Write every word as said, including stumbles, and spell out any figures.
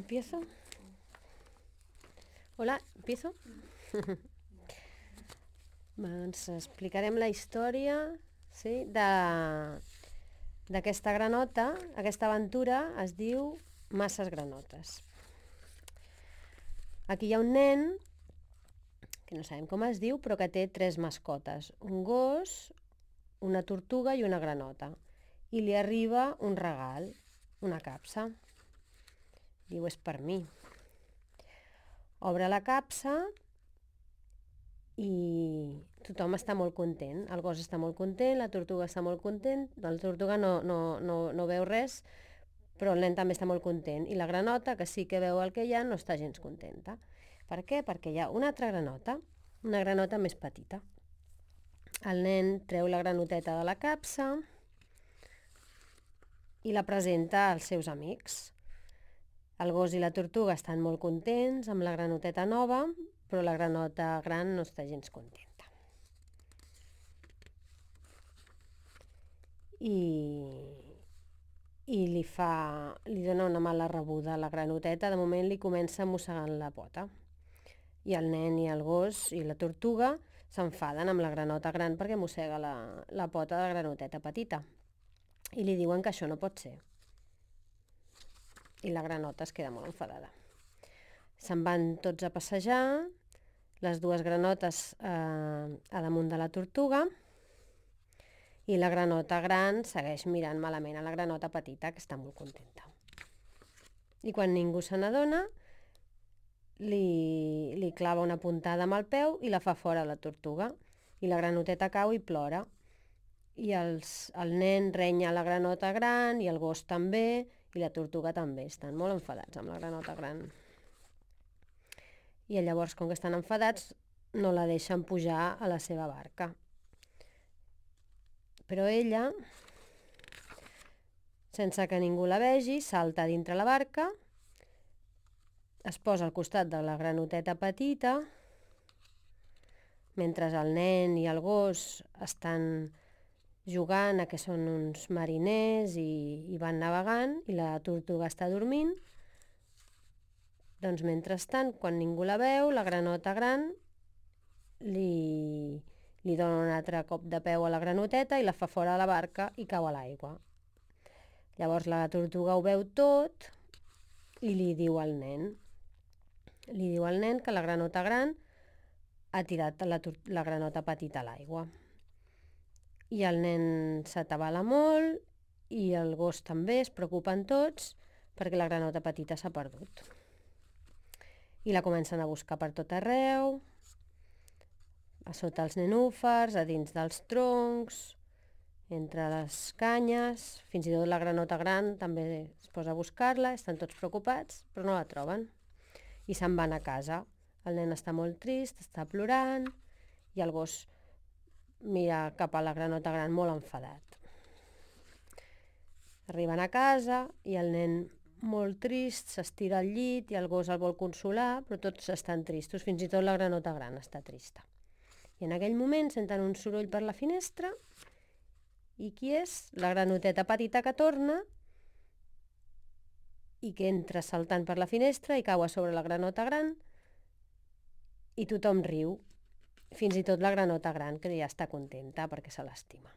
¿Empiezo? Hola, ¿empiezo? Doncs explicarem la història, sí, de d'aquesta granota. Aquesta aventura es diu Masses granotes. Aquí hi ha un nen, que no sabem com es diu, però que té tres mascotes. Un gos, una tortuga i una granota. I li arriba un regal, una capsa. Diu, és per mi. Obre la capsa i tothom està molt content. El gos està molt content, la tortuga està molt content, la tortuga no, no, no, no veu res, però el nen també està molt content. I la granota, que sí que veu el que hi ha, no està gens contenta. Per què? Perquè hi ha una altra granota, una granota més petita. El nen treu la granoteta de la capsa i la presenta als seus amics. El gos i la tortuga estan molt contents amb la granoteta nova, però la granota gran no està gens contenta. I, i li, fa, li dona una mala rebuda a la granoteta. De moment li comença mossegant la pota. I el nen i el gos i la tortuga s'enfaden amb la granota gran perquè mossega la, la pota de la granoteta petita. I li diuen que això no pot ser. I la granota es queda molt enfadada. Se'n van tots a passejar, les dues granotes eh, a damunt de la tortuga, i la granota gran segueix mirant malament a la granota petita, que està molt contenta. I quan ningú se n'adona, li, li clava una puntada amb el peu i la fa fora a la tortuga. I la granoteta cau i plora. I els, el nen renya la granota gran i el gos també, i la tortuga també. Estan molt enfadats amb la granota gran. I llavors, com que estan enfadats, no la deixen pujar a la seva barca. Però ella, sense que ningú la vegi, salta dintre la barca, es posa al costat de la granoteta petita, mentre el nen i el gos estan jugant a que són uns mariners i, i van navegant, i la tortuga està dormint. Doncs mentrestant, quan ningú la veu, la granota gran li, li dona un altre cop de peu a la granoteta i la fa fora de la barca i cau a l'aigua. Llavors la tortuga ho veu tot i li diu al nen. Li diu al nen que la granota gran ha tirat la, la granota petita a l'aigua. I el nen s'atabala molt i el gos també, es preocupen tots perquè la granota petita s'ha perdut. I la comencen a buscar per tot arreu, a sota els nenúfars, a dins dels troncs, entre les canyes, fins i tot la granota gran també es posa a buscar-la, estan tots preocupats, però no la troben. I se'n van a casa. El nen està molt trist, està plorant, i el gos mira cap a la granota gran molt enfadat. Arriben a casa i el nen molt trist s'estira al llit i el gos el vol consolar, però tots estan tristos, fins i tot la granota gran està trista. I en aquell moment senten un soroll per la finestra i qui és? La granoteta petita que torna i que entra saltant per la finestra i cau a sobre la granota gran i tothom riu. Fins i tot la granota gran, que ja està contenta perquè se l'estima.